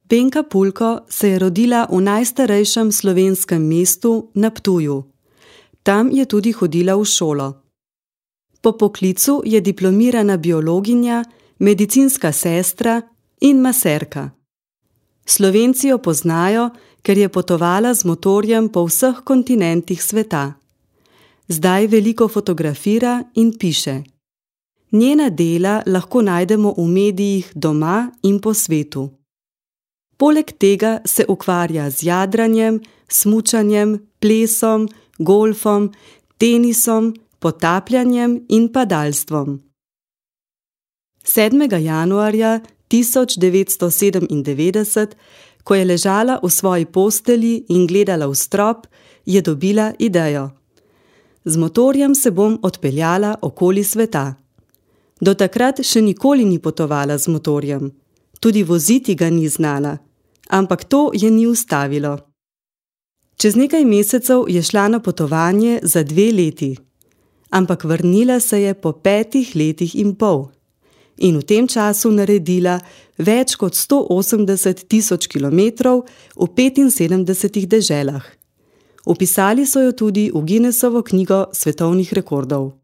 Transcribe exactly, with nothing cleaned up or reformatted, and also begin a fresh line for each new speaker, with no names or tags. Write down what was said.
Penka Pulko se je rodila v najstarejšem slovenskem mestu na Ptuju. Tam je tudi hodila v šolo. Po poklicu je diplomirana biologinja, medicinska sestra in maserka. Slovenci jo poznajo, ker je potovala z motorjem po vseh kontinentih sveta. Zdaj veliko fotografira in piše. Njena dela lahko najdemo v medijih doma in po svetu. Poleg tega se ukvarja z jadranjem, smučanjem, plesom, golfom, tenisom, potapljanjem in padalstvom. sedmega januarja tisoč devetsto sedemindevetdeset, ko je ležala v svoji postelji in gledala v strop, je dobila idejo. Z motorjem se bom odpeljala okoli sveta. Do takrat še nikoli ni potovala z motorjem. Tudi voziti ga ni znala, ampak to je ni ustavilo. Čez nekaj mesecev je šla na potovanje za dve leti, ampak vrnila se je po petih letih in pol in v tem času naredila več kot sto osemdeset tisoč kilometrov v petinsedemdesetih deželah. Vpisali so jo tudi v Guinnessovo knjigo svetovnih rekordov.